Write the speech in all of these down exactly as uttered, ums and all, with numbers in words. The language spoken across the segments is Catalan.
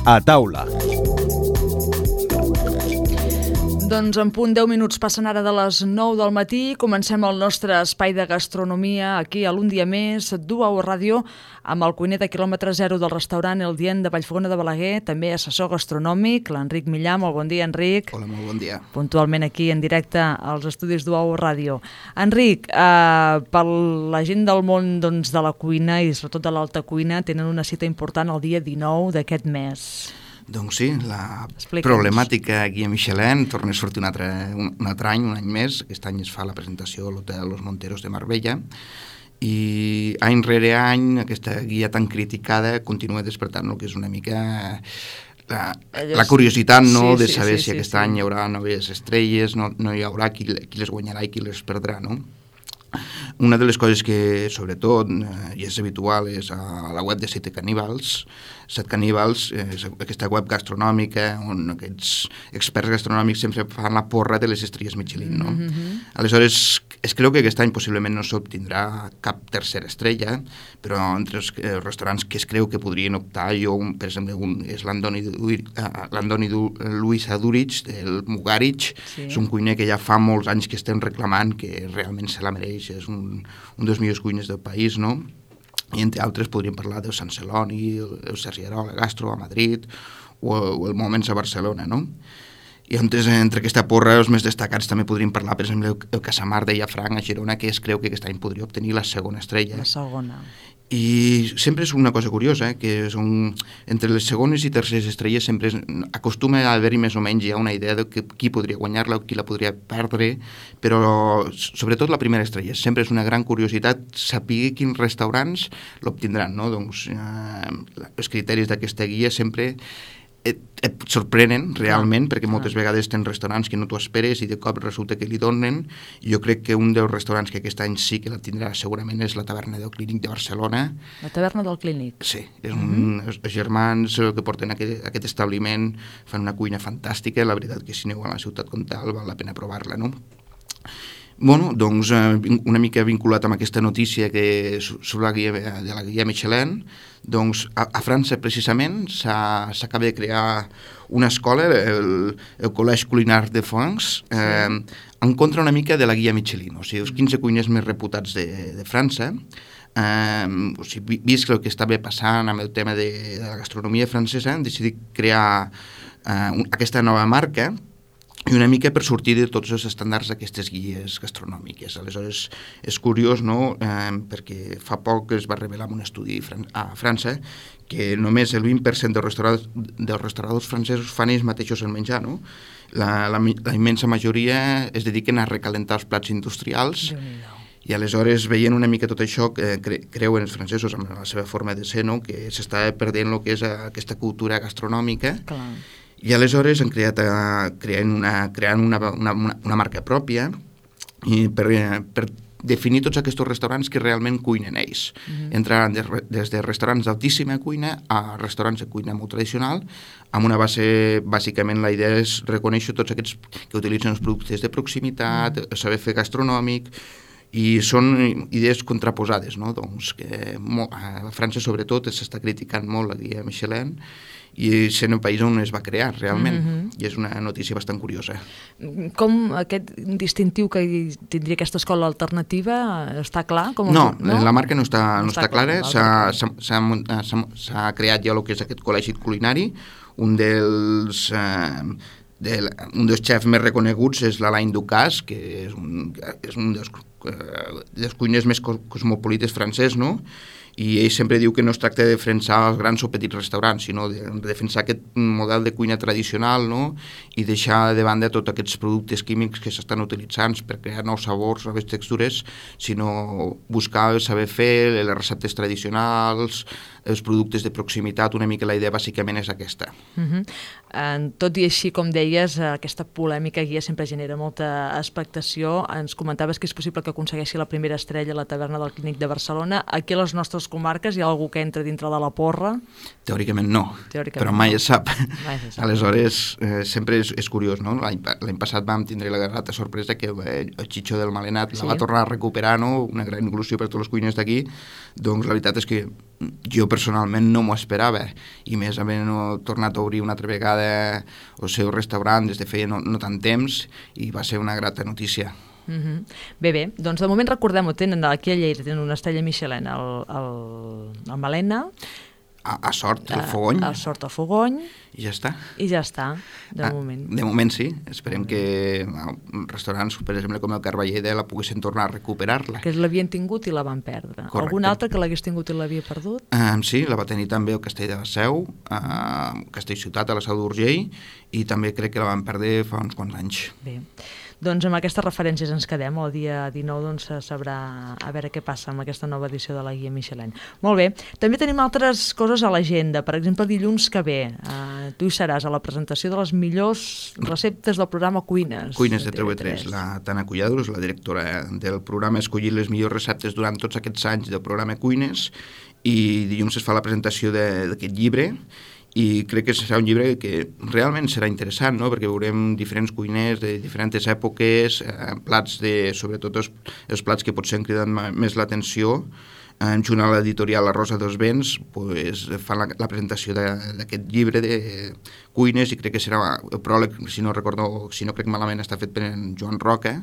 A taula. Doncs en punt deu minuts passen ara de les nou del matí. Comencem el nostre espai de gastronomia aquí a l'Un dia més, Duau Ràdio, amb el cuiner de quilòmetre zero del restaurant El Dient de Vallfogona de Balaguer, també assessor gastronòmic, l'Enric Millà. Molt bon dia, Enric. Hola, molt bon dia. Puntualment aquí en directe als estudis Duau Ràdio. Enric, eh, per la gent del món doncs, de la cuina i sobretot de l'alta cuina, tenen una cita important el dia dinou d'aquest mes. Doncs sí, la Explica'ns. Problemàtica Guia Michelin torna a sortir un altre, un, un altre any, un any més. Aquest any es fa la presentació a l'Hotel Los Monteros de Marbella i any rere any aquesta guia tan criticada continua despertant el que és una mica la, la curiositat, no?, sí, de saber sí, sí, si aquest sí. any hi haurà noves estrelles, no, no hi haurà qui, qui les guanyarà i qui les perdrà, no? Una de les coses que, sobretot, eh, i és habitual, és a la web de Set Caníbals. Set Caníbals és aquesta web gastronòmica on aquests experts gastronòmics sempre fan la porra de les estrelles Michelin, no? Mm-hmm. Aleshores, es creu que aquest any possiblement no s'obtindrà cap tercera estrella, però entre els eh, restaurants que es creu que podrien optar, jo, un, per exemple, un, és l'Andoni uh, Luis Adurich, del Mugarich. Sí. És un cuiner que ja fa molts anys que estem reclamant, que realment se la mereix, és un, un dels millors cuiners del país, no? I entre altres podríem parlar del Sant Celoni, el, el Sergi Arola Gastro a Madrid o, o el Moments a Barcelona, no? I entre, entre aquesta porra, els més destacats també podríem parlar, per exemple, el, el Casamar de Llafranc a Girona, que es creu que aquest any podria obtenir la segona estrella. La segona. I sempre és una cosa curiosa, eh, que són, entre les segones i terceres estrelles sempre és, acostuma a haver-hi més o menys ja una idea de que, qui podria guanyar-la o qui la podria perdre, però sobretot la primera estrella. Sempre és una gran curiositat saber quins restaurants l'obtindran, no? Doncs eh, els criteris d'aquesta guia sempre et, et sorprenen realment, ah, perquè moltes ah. vegades tens restaurants que no t'ho esperes i de cop resulta que li donen. Jo crec que un dels restaurants que aquest any sí que la tindrà segurament és la Taverna del Clínic de Barcelona. La Taverna del Clínic? Sí, és un, mm-hmm. els germans que porten aquest, aquest establiment fan una cuina fantàstica, la veritat que si aneu a la ciutat com tal val la pena provar-la, no? Bueno, doncs una mica vinculat amb aquesta notícia que sobre la guia, de la guia Michelin, doncs a, a França precisament s'acaba de crear una escola, el, el Collège Culinard de France, eh, en contra una mica de la guia Michelin, o sigui, els quinze cuiners més reputats de, de França. Eh, o sigui, vist el que estava passant amb el tema de, de la gastronomia francesa, han decidit crear eh, un, aquesta nova marca i una mica per sortir de tots els estàndards d'aquestes guies gastronòmiques. Aleshores, és curiós, no?, eh, perquè fa poc es va revelar en un estudi fran- a França que només el vint per cent dels restauradors, dels restauradors francesos fan ells mateixos el menjar, no? La, la, la immensa majoria es dediquen a recalentar els plats industrials. I aleshores, veient una mica tot això, eh, cre creuen els francesos amb la seva forma de ser, no?, que s'està perdent el que és aquesta cultura gastronòmica. Clar. I aleshores han creat, creant, una, creant una, una, una marca pròpia i per, per definir tots aquests restaurants que realment cuinen ells. Mm-hmm. Entraran des, des de restaurants d'altíssima cuina a restaurants de cuina molt tradicional, amb una base, bàsicament la idea és reconèixer tots aquests que utilitzen els productes de proximitat, mm-hmm. saber fer gastronòmic, i són idees contraposades, no? Doncs que a França sobretot s'està criticant molt la guia Michelin i sent un país on es va crear realment, mm-hmm. i és una notícia bastant curiosa. Com aquest distintiu que tindria aquesta escola alternativa està clar? Com no, el... no, la marca no està, no, no està, està clara, clar, s'ha creat ja el que és aquest col·legi culinari, un dels... Eh, de, un dels xefs més reconeguts és l'Alain Ducasse, que és un, és un dels, eh, dels cuiners més cosmopolites francès, no?, i ell sempre diu que no es tracta de defensar els grans o petits restaurants, sinó de defensar aquest model de cuina tradicional, no?, i deixar de banda tots aquests productes químics que s'estan utilitzant per crear nous sabors, noves textures, sinó buscar el saber fer, les receptes tradicionals, els productes de proximitat. Una mica la idea bàsicament és aquesta. Uh-huh. eh, tot i així, com deies, aquesta polèmica guia sempre genera molta expectació. Ens comentaves que és possible que aconsegueixi la primera estrella a la Taverna del Clínic de Barcelona. Aquí a les nostres comarques hi ha algú que entra dintre de la porra? Teòricament no, Teòricament però mai no. es sap. Mai se sap. Aleshores, eh, sempre és, és curiós, no? L'any passat vam tindre la grata sorpresa que eh, el Chicho del Malenat sí. la va tornar a recuperar, no?, una gran il·lusió per tots els cuiners d'aquí. Doncs la veritat és que jo personalment no m'ho esperava, i més havent tornat a obrir una altra vegada el seu restaurant des de feia no, no tant temps, i va ser una grata notícia. Uh-huh. Bé, bé, doncs de moment recordem-ho, tenen aquí a Lleida, tenen una estrella Michelin al, al, al Malena, a, a Sort, el Fogony, a, a Sort, el Fogony, i ja està. I ja està, de ah, moment. De moment sí, esperem que restaurants, per exemple, com el Carballeda, la poguessin tornar a recuperar-la. Que l'havien tingut i la van perdre. Correcte. Algun altre que l'hagués tingut i l'havia perdut? Um, sí, la va tenir també el Castell de la Seu, uh, Castell Ciutat, a la Seu d'Urgell, i també crec que la van perdre fa uns quants anys. Bé. Doncs amb aquestes referències ens quedem. El dia dinou doncs, sabrà a veure què passa amb aquesta nova edició de la Guia Michelin. Molt bé. També tenim altres coses a l'agenda. Per exemple, dilluns que ve, eh, tu hi seràs a la presentació de les millors receptes del programa Cuines. Cuines de T V tres. La Tana Cullados, la directora del programa, ha escollit les millors receptes durant tots aquests anys del programa Cuines, i dilluns es fa la presentació d'aquest llibre, i crec que serà un llibre que realment serà interessant, no? Perquè veurem diferents cuiners de diferents èpoques, eh, plats de, sobretot els, els plats que potser han cridat més l'atenció. En junt a l'editorial La Rosa dels Vents pues, fan la, la presentació d'aquest llibre de cuines, i crec que serà el pròleg, si no recordo, si no crec malament, està fet per en Joan Roca,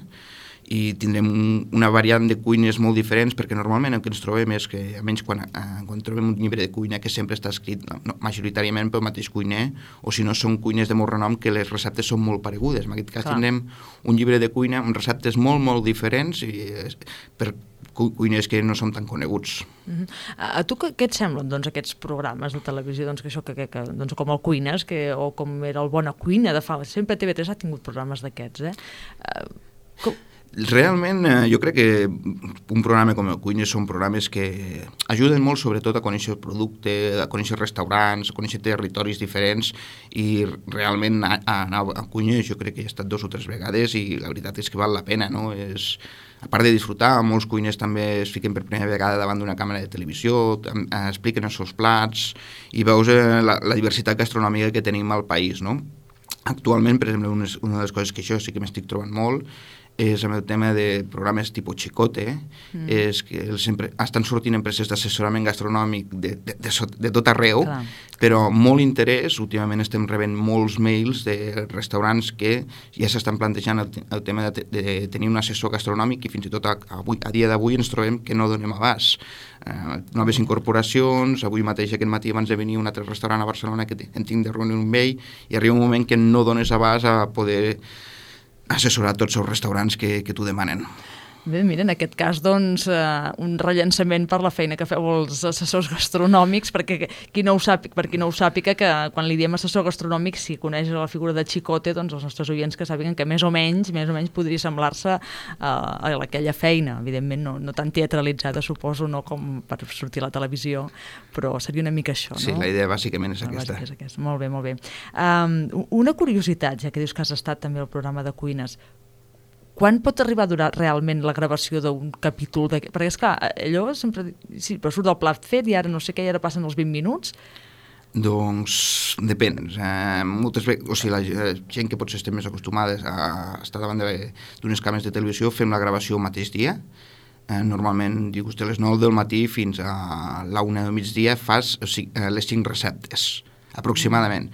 i tindrem un, una variant de cuines molt diferents, perquè normalment el que ens trobem és que, almenys quan, eh, quan trobem un llibre de cuina que sempre està escrit no, no, majoritàriament pel mateix cuiner, o si no són cuines de molt renom que les receptes són molt paregudes. En aquest cas Clar. Tindrem un llibre de cuina amb receptes molt, molt diferents, i eh, per cuiners que no són tan coneguts. Uh-huh. A tu què, què et semblen doncs, aquests programes de televisió, doncs, que això, que, que, que, doncs, com el Cuines, que, o com era el Bona Cuina de fa... Sempre T V tres ha tingut programes d'aquests, eh? Uh, com... Realment, eh, jo crec que un programa com el Cuines són programes que ajuden molt, sobretot, a conèixer el producte, a conèixer restaurants, a conèixer territoris diferents, i realment a, a anar a Cuines jo crec que he estat dos o tres vegades, i la veritat és que val la pena, no? És, a part de disfrutar, molts cuiners també es fiquen per primera vegada davant d'una càmera de televisió, expliquen els seus plats, i veus la, la diversitat gastronòmica que tenim al país, no? Actualment, per exemple, una, una de les coses que jo sí que m'estic trobant molt és amb el tema de programes tipus Chicote, mm. és que sempre estan sortint empreses d'assessorament gastronòmic de, de, de, de tot arreu, Clar. Però molt interès. Últimament estem rebent molts mails de restaurants que ja s'estan plantejant el, el tema de, de tenir un assessor gastronòmic, i fins i tot a, avui, a dia d'avui ens trobem que no donem abast. Uh, noves incorporacions, avui mateix aquest matí abans de venir un altre restaurant a Barcelona que en tinc de reunir amb ell, i arriba un moment que no dones abast a poder assessorar tots els restaurants que, que t'ho demanen. Bé, mira, en aquest cas, doncs, eh, un rellançament per la feina que feu els assessors gastronòmics, perquè qui no ho sàpiga, per qui no ho sàpiga, que quan li diem assessor gastronòmic, si coneix la figura de Chicote, doncs els nostres oients que sàpiguen que més o menys, més o menys podria semblar-se eh, a aquella feina, evidentment no, no tan teatralitzada, suposo, no com per sortir a la televisió, però seria una mica això, no? Sí, la idea bàsicament és aquesta. És aquesta. Molt bé, molt bé. Um, una curiositat, ja que dius que has estat també al programa de Cuines, quan pot arribar a durar realment la gravació d'un capítol? De... Perquè, esclar, allò sempre... Sí, però surt el plat fet i ara no sé què, i ara passen els vint minuts. Doncs depèn. Eh, moltes vegades, o sigui, la gent que potser estem més acostumades a estar davant d'unes càmeres de televisió, fem la gravació el mateix dia. Eh, normalment, dius, de les nou del matí fins a la una del migdia fas o sigui, les cinc receptes, aproximadament.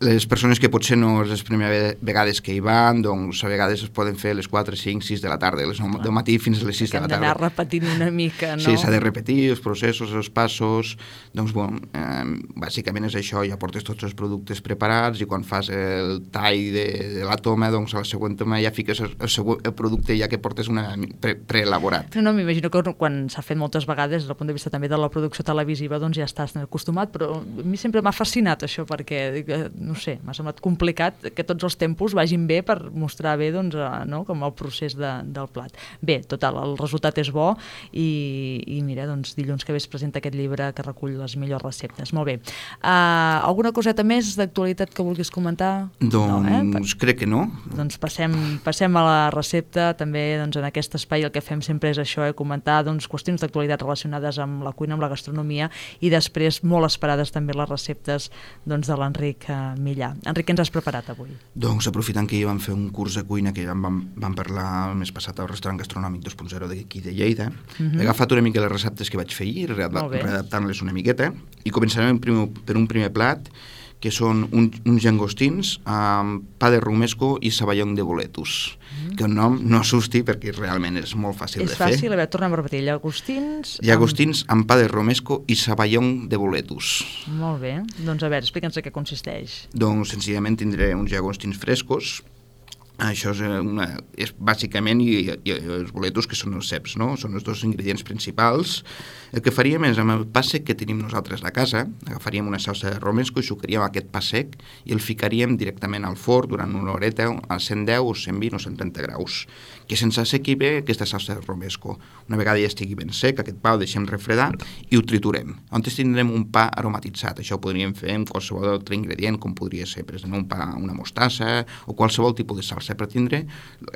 Les persones que potser no és les primeres vegades que hi van, doncs a vegades es poden fer les quatre, cinc, sis de la tarda, les nou del matí fins a les sis de la tarda. Hem d'anar repetint una mica, no? Sí, s'ha de repetir els processos, els passos. Doncs, bueno, eh, bàsicament és això, ja portes tots els productes preparats, i quan fas el tall de, de la toma, doncs a la següent toma ja fiques el, el, següent, el producte ja que portes una pre, preelaborat. No, no, m'imagino que quan s'ha fet moltes vegades, des del punt de vista també de la producció televisiva, doncs ja estàs acostumat, però a mi sempre m'ha fascinat això, perquè no sé, m'ha semblat complicat que tots els tempos vagin bé per mostrar bé, doncs, no, com el procés de, del plat. Bé, total, el resultat és bo, i, i mira, doncs dilluns que ve es presenta aquest llibre que recull les millors receptes. Molt bé. Uh, alguna coseta més d'actualitat que vulguis comentar? Doncs no, eh? per... crec que no. Doncs passem, passem a la recepta. També, doncs, en aquest espai el que fem sempre és això, eh, comentar, doncs, qüestions d'actualitat relacionades amb la cuina, amb la gastronomia, i després molt esperades també les receptes, doncs, de l'Enric Millà. Enric, què ens has preparat avui? Doncs aprofitant que ja vam fer un curs de cuina que ja vam, vam parlar el mes passat al restaurant gastronòmic dos punt zero d'aquí de Lleida, uh-huh. he agafat una mica les receptes que vaig fer ahir, readaptant-les una miqueta, i començarem primer, per un primer plat, que són un, uns llangostins amb pa de romesco i saballong de boletus, mm. que el nom no assusti perquè realment és molt fàcil és de fer. És fàcil, a veure, tornem a repetir, llagostins... Llagostins amb... amb pa de romesco i saballong de boletus. Molt bé, doncs a veure, explica'ns què consisteix. Doncs senzillament tindré uns llagostins frescos. Això és, una, és bàsicament i, i els boletos, que són els ceps, no? Són els dos ingredients principals. El que faríem és, amb el pa sec que tenim nosaltres a casa, agafaríem una salsa de romesco i sucaríem aquest pa sec i el ficaríem directament al forn durant una horeta a cent deu o cent vint o cent trenta graus, que se'ns assequi bé aquesta salsa de romesco. Una vegada ja estigui ben sec, aquest pa ho deixem refredar i ho triturem. On tindrem un pa aromatitzat. Això ho podríem fer amb qualsevol altre ingredient, com podria ser, per exemple, un pa, una mostassa o qualsevol tipus de salsa per tindre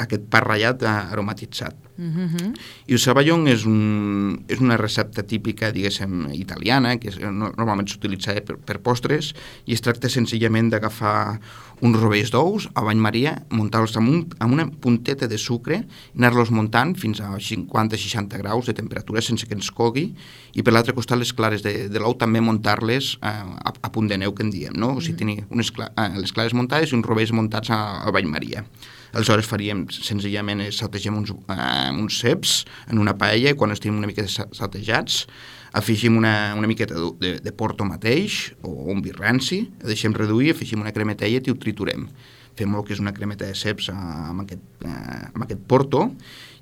aquest pa ratllat aromatitzat. Uh-huh. I el saballong és, un, és una recepta típica, diguéssim, italiana, que és, normalment s'utilitza per, per postres, i es tracta senzillament d'agafar uns rovells d'ous a bany maria, muntar-los amb, un, amb una punteta de sucre, anar-los muntant fins a cinquanta a seixanta graus de temperatura sense que ens cogui, i per l'altre costat les clares de, de l'ou també muntar-les eh, a, a punt de neu, que en diem, no? O sigui, tenir unes cla eh, les clares muntades i uns rovells muntats a, a bany maria. Aleshores faríem, senzillament, saltegem uns, uh, uns ceps en una paella, i quan estiguin una mica saltejats, afegim una, una miqueta de, de, de porto mateix, o un vi ranci, el deixem reduir, afegim una cremetella i ho triturem. Fem el que és una cremeta de ceps amb aquest, eh, amb aquest porto,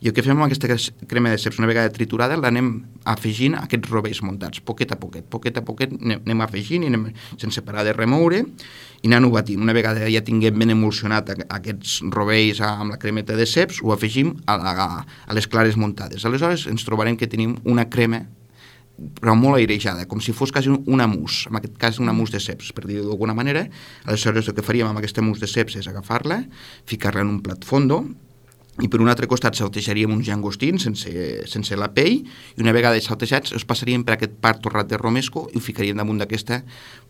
i el que fem amb aquesta crema de ceps, una vegada triturada, l'anem afegint a aquests rovells muntats, poquet a poquet, poquet a poquet, anem afegint i anem sense parar de remoure, i anant-ho batint. Una vegada ja tinguem ben emulsionat aquests rovells amb la cremeta de ceps, ho afegim a, la, a les clares muntades. Aleshores ens trobarem que tenim una crema però molt airejada, com si fos quasi una mousse, en aquest cas una mousse de ceps, per dir-ho d'alguna manera. Aleshores el que faríem amb aquesta mousse de ceps és agafar-la, ficar-la en un plat fondo, i per un altre costat saltejaríem uns llangostins sense, sense la pell, i una vegada saltejats els passaríem per aquest part torrat de romesco i ho ficaríem damunt d'aquesta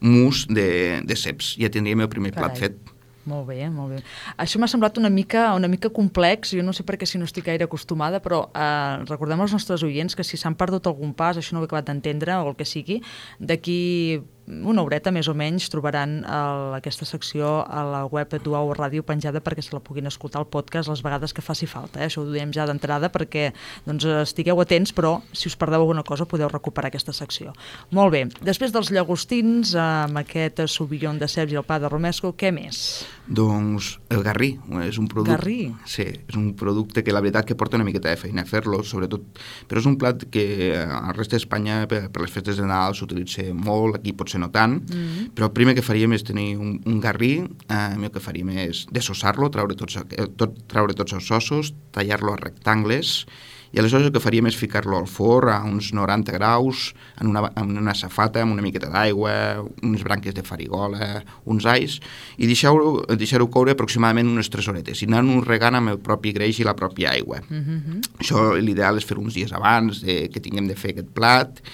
mousse de, de ceps. Ja tindríem el primer Carai. plat fet. Molt bé, molt bé. Això m'ha semblat una mica, una mica complex, jo no sé per què si no estic gaire acostumada, però eh, recordem als nostres oients que si s'han perdut algun pas, això no ho he acabat d'entendre o el que sigui, d'aquí una horeta més o menys trobaran el, aquesta secció a la web de Duau Ràdio penjada perquè se la puguin escoltar al podcast les vegades que faci falta. Eh? Això ho diem ja d'entrada perquè doncs, estigueu atents, però si us perdeu alguna cosa podeu recuperar aquesta secció. Molt bé, després dels llagostins, amb aquest sauvignon de ceps i el pa de romesco, què més? Doncs el garrí. És un producte, garrí? Sí, és un producte que la veritat que porta una miqueta de feina fer-lo, sobretot, però és un plat que al rest d'Espanya per, per les festes de Nadal s'utilitza molt, aquí potser no tant, mm-hmm. però el primer que faríem és tenir un, un garrí, eh, el que faríem és dessossar-lo, traure tots, tot, traure tots els ossos, tallar-lo a rectangles, i aleshores el que faríem és ficar-lo al forn a uns noranta graus, en una, en una safata, amb una miqueta d'aigua, unes branques de farigola, uns alls, i deixar-ho deixar-ho coure aproximadament unes tres horetes, i anar-ho regant amb el propi greix i la pròpia aigua. Mm-hmm. Això l'ideal és fer uns dies abans de, que tinguem de fer aquest plat,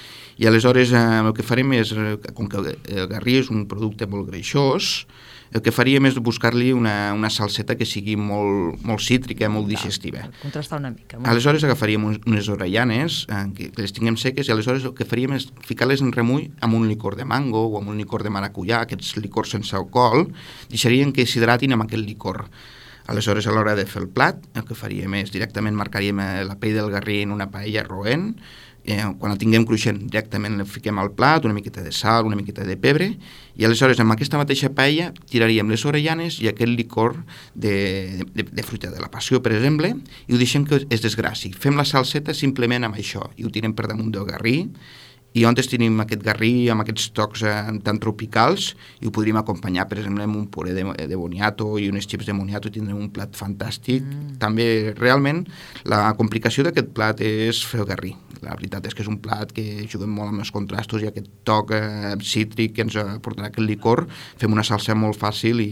i aleshores eh, el que farem és, com que el garrí és un producte molt greixós, el que faríem és buscar-li una, una salseta que sigui molt, molt cítrica, molt digestiva. Per contrastar una mica. Aleshores agafaríem unes orellanes, eh, que, que les tinguem seques, i aleshores el que faríem és ficar-les en remull amb un licor de mango o amb un licor de maracuyà, aquests licors sense alcohol, deixaríem que s'hidratin amb aquest licor. Aleshores, a l'hora de fer el plat, el que faríem és directament marcaríem la pell del garrí en una paella roent, eh, quan el tinguem cruixent directament el fiquem al plat, una miqueta de sal, una miqueta de pebre, i aleshores amb aquesta mateixa paella tiraríem les orellanes i aquest licor de, de, de fruita de la passió, per exemple, i ho deixem que es desgrassi. Fem la salseta simplement amb això i ho tirem per damunt del garrí, i on tenim aquest garrí amb aquests tocs eh, tan tropicals, i ho podríem acompanyar, per exemple, amb un puré de, de boniato i unes xips de moniato, i tindrem un plat fantàstic. Mm. També, realment, la complicació d'aquest plat és fer el garrí. La veritat és que és un plat que juguem molt amb els contrastos i aquest toc eh, cítric que ens aportarà aquest licor. Fem una salsa molt fàcil i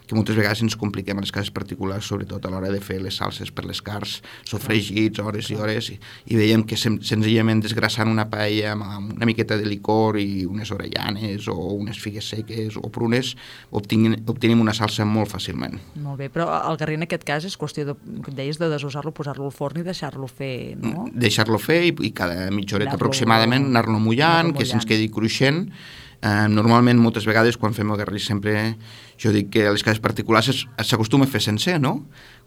que moltes vegades ens compliquem a les cases particulars, sobretot a l'hora de fer les salses per les carns, sofregits, hores i hores, i, i veiem que sen, senzillament desgrassant una paella amb amb una miqueta de licor i unes orellanes o unes figues seques o prunes, obtenim, obtenim una salsa molt fàcilment. Molt bé, però el garrí en aquest cas és qüestió de, que et deies, de desossar-lo, posar-lo al forn i deixar-lo fer, no? Deixar-lo fer i, i cada mitja horeta aproximadament anar-lo mullant, anar que se'ns quedi cruixent. Uh, normalment, moltes vegades, quan fem el garrí, sempre jo dic que a les cases particulars s'acostuma a fer sencer, no?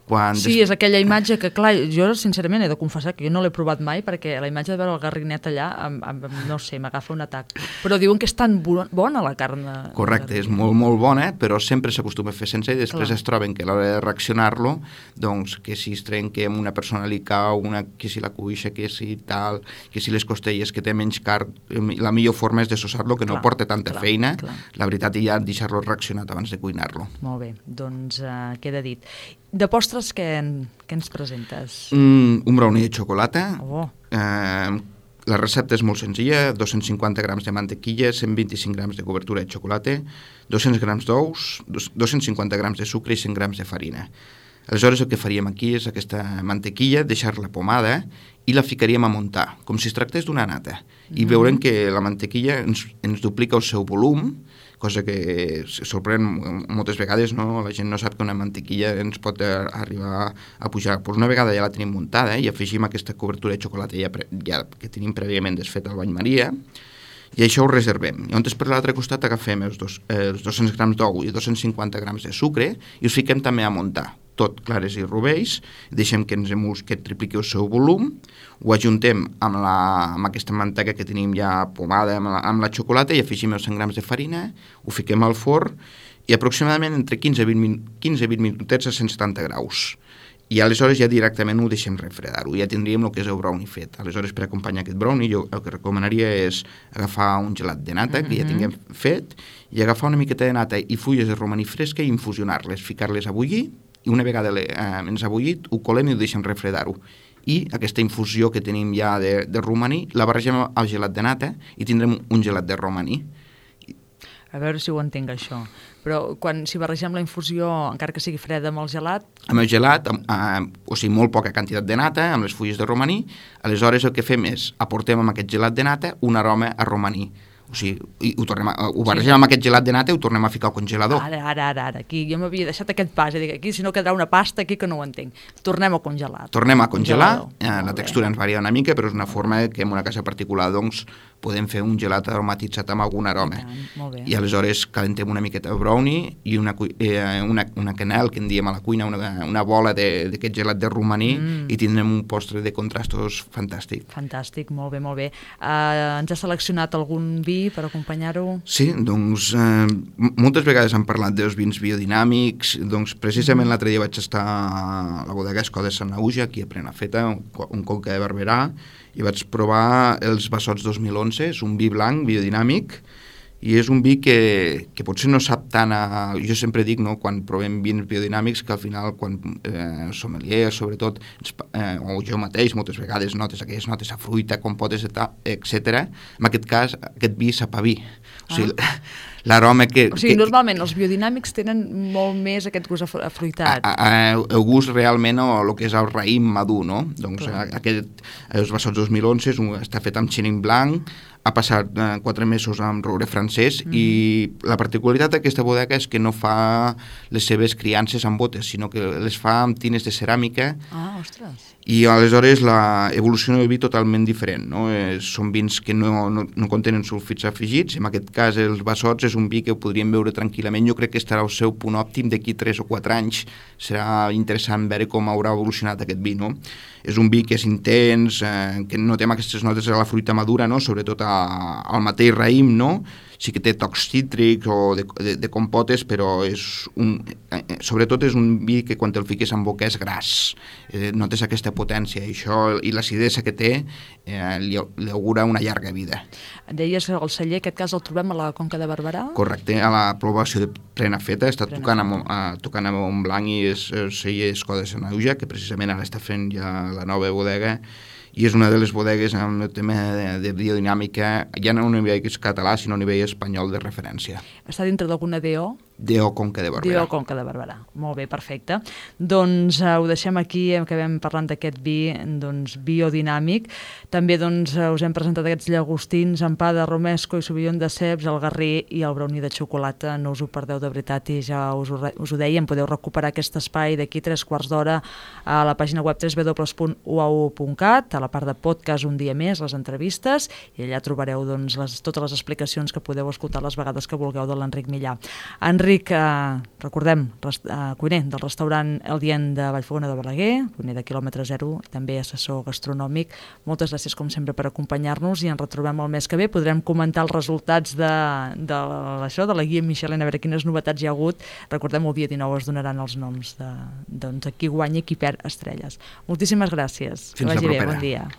Quan sí, des... és aquella imatge que, clar, jo sincerament he de confessar que jo no l'he provat mai perquè la imatge de veure el garrinet allà, amb, amb, no sé, m'agafa un atac. Però diuen que és tan bona la carn. De... Correcte, és molt, molt bona, però sempre s'acostuma a fer sencer i després clar. Es troben que a l'hora de reaccionar-lo, doncs, que si es trenca amb una persona li cau, una, que si la cuixa, que si tal, que si les costelles, que té menys carn, la millor forma és desossar-lo, que clar, no porta tanta clar, feina, clar. La veritat, i ja deixar-lo reaccionat abans de cuinar-lo. Molt bé, doncs uh, queda dit. De postres, què, què ens presentes? Mm, un brownie de xocolata. Oh. Eh, la recepta és molt senzilla, dos-cents cinquanta grams de mantequilla, cent vint-i-cinc grams de cobertura de xocolata, dos-cents grams d'ous, dos-cents cinquanta grams de sucre i cent grams de farina. Aleshores el que faríem aquí és aquesta mantequilla, deixar-la pomada i la ficaríem a muntar, com si es tractés d'una nata. I mm. veurem que la mantequilla ens, ens duplica el seu volum, cosa que sorprèn moltes vegades, no? La gent no sap que una mantequilla ens pot arribar a pujar. Pues una vegada ja la tenim muntada eh? I afegim aquesta cobertura de xocolata ja, ja que tenim prèviament desfeta al bany Maria, i això ho reservem. Llavors per l'altre costat agafem els, dos, eh, els dos-cents grams d'ou i dos-cents cinquanta grams de sucre i els fiquem també a muntar, tot clares i rovells, deixem que ens emuls, que tripliqui el seu volum, ho ajuntem amb, la, amb aquesta manteca que tenim ja pomada amb la, amb la xocolata i afegim els cent grams de farina, ho fiquem al forn i aproximadament entre quinze a vint minutets a cent setanta graus. I aleshores ja directament ho deixem refredar-ho, ja tindríem el que és el brownie fet. Aleshores, per acompanyar aquest brownie, jo el que recomanaria és agafar un gelat de nata, que ja tinguem fet, i agafar una miqueta de nata i fulles de romaní fresca i infusionar-les, ficar-les a bullir, i una vegada eh, ens ha bullit, ho colem i ho deixem refredar-ho. I aquesta infusió que tenim ja de, de romaní la barregem al gelat de nata i tindrem un gelat de romaní. A veure si ho entenc, això. Però quan si barregem la infusió, encara que sigui freda, amb el gelat... Amb el gelat, amb, eh, o sigui, molt poca quantitat de nata, amb les fulles de romaní, aleshores el que fem és aportem amb aquest gelat de nata un aroma a romaní. O sigui, ho, tornem a, ho barregem sí. amb aquest gelat de nata i ho tornem a ficar al congelador. Ara, ara, ara, ara. Aquí jo m'havia deixat aquest pas, dic, aquí si no quedarà una pasta, aquí que no ho entenc. Tornem a congelar. Tornem a congelar, eh, la textura ens varia una mica, però és una forma que en una casa particular, doncs, podem fer un gelat aromatitzat amb algun aroma. I, tant, I aleshores calentem una miqueta de brownie i una, eh, una, una canel, que en diem a la cuina, una, una bola d'aquest gelat de romaní mm. i tindrem un postre de contrastos fantàstic. Fantàstic, molt bé, molt bé. Uh, ens ha seleccionat algun vi per acompanyar-ho? Sí, doncs eh, moltes vegades han parlat dels vins biodinàmics, doncs precisament mm. l'altre dia vaig estar a la bodega Escoda de Sanaüja, aquí a Prenafeta, un, un Conca de Barberà, i vaig provar els Bassots dos mil onze, és un vi blanc biodinàmic, i és un vi que, que potser no sap tant a... Jo sempre dic, no, quan provem vins biodinàmics, que al final, quan eh, sommeliers, sobretot, eh, o jo mateix, moltes vegades notes aquelles notes a fruita, compotes, etcètera. En aquest cas, aquest vi sap a vi. O sigui, ah. l'aroma que... O sigui, que, normalment els biodinàmics tenen molt més aquest gust afruitat. A, a, el gust realment, o el que és el raïm madur, no? Doncs Clar. aquest, els Bassots dos mil onze un, està fet amb xinin blanc, ha passat eh, quatre mesos amb roure francès mm. i la particularitat d'aquesta bodega és que no fa les seves criances amb botes, sinó que les fa amb tines de ceràmica. Ah, ostres. I aleshores la evolució del vi totalment diferent, no? Eh, són vins que no, no, no contenen sulfits afegits, en aquest cas els Bassots és un vi que ho podríem veure tranquil·lament, jo crec que estarà al seu punt òptim d'aquí tres o quatre anys, serà interessant veure com haurà evolucionat aquest vi, no? És un vi que és intens, eh, que no té aquestes notes de la fruita madura, no? Sobretot a, al mateix raïm, no? Sí que té tocs cítrics o de, de, de compotes, però és un, eh, sobretot és un vi que quan te'l fiques en boca és gras. Eh, notes aquesta potència i, això, i l'acidesa que té eh, li, li augura una llarga vida. Deies que el celler, aquest cas el trobem a la Conca de Barberà? Correcte, a la població de Prenafeta, està Prenafeta. tocant amb, uh, tocant amb un blanc i és el celler Escoda de Sanaüja, que precisament ara està fent ja la nova bodega, i és una de les bodegues amb el tema de, de biodinàmica, ja no a nivell català, sinó a nivell espanyol de referència. Està dintre d'alguna D O? D O Conca de Barberà. D O Conca de Barberà. Molt bé, perfecte. Doncs uh, ho deixem aquí, acabem parlant d'aquest vi doncs, biodinàmic. També doncs, uh, us hem presentat aquests llagostins amb pa de romesco i sauvignon de ceps, el garrí i el brownie de xocolata. No us ho perdeu de veritat i ja us ho, us ho dèiem, podeu recuperar aquest espai d'aquí tres quarts d'hora a la pàgina web w w w punt u a u punt cat, a la part de podcast Un dia més, les entrevistes, i allà trobareu doncs, les, totes les explicacions que podeu escoltar les vegades que vulgueu de l'Enric Millà. Enric Enric, eh, recordem, rest, eh, cuiner del restaurant El Dient de Vallfogona de Balaguer, cuiner de quilòmetre zero, també assessor gastronòmic. Moltes gràcies, com sempre, per acompanyar-nos i ens retrobem el mes que ve. Podrem comentar els resultats de, de, això, de la guia Michelin, a veure quines novetats hi ha hagut. Recordem, el dia dinou es donaran els noms de doncs, qui guanya i qui perd estrelles. Moltíssimes gràcies. Fins que vagi la bé, propera. bon dia.